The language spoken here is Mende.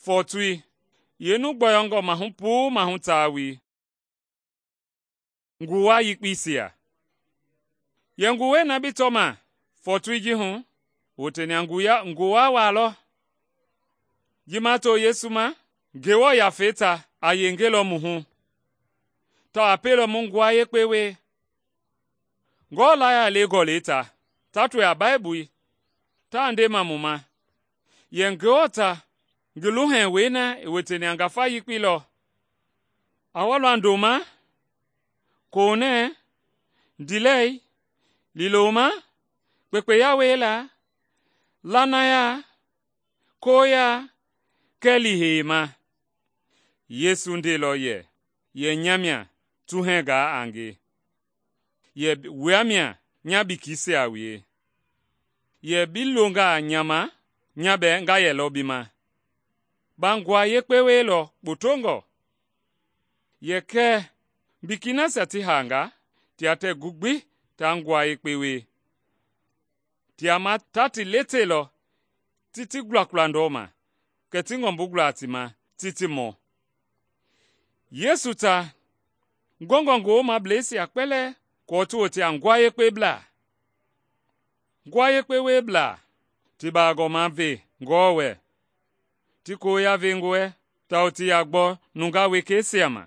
fɔɔtoi yeenu gbɔyɔngɔ mahu puu mahu tawei. Nguwa yekpeisia. Yɛ nguwɛi na bi tɔma fɔɔtoi ji hu, wote mia nguwa waa lɔ. Ji ma to Yesu ma, Ngewɔ Yafei ta a yengelɔ mu hu, tawao a pielɔ mu nguwa yekpe wie. Ngɔɔ laya le gɔlɛi ta, ta tɔe a Baibui, taa ndema mu ma, yɛ Ngewɔ ta ngi luhɛwei na i woteni a ngafa yekpei lɔ, a wa lɔ ndoma, konɛ, ndiilɛi, liiloma, kpekpeya wiela, lanaya, koya, kɛɛ liihei-ma. Yesu ndeilɔ yɛ nya mia tuhɛngaa a nge, yɛ wua mia nya bikisia a wue. Yɛ bi longaa nya ma, nya bɛɛ nga yɛlɔ bi ma. Ba nguwa yekpe wielɔ kpotongɔ. Yɛ kɛ biki nasia ti haanga, tia tɛɛ gu gbi ta nguwa yekpe wie. Tia ma ta ti letelɔ ti ti gulagula ndɔma, kɛ ti ngɔmbu gula ti ma ti ti mɔ. Yesu ta ngɔngɔ ngi woomableisia kpɛlɛɛ kɔɔ ti wote a nguwa yekpeblaa. Nguwa yekpe wieblaa ti baagɔma ve Ngewɔ wɛ, ti koya ve ngi wɛ, tawao ti ya gbɔ nungaa wekeisia ma.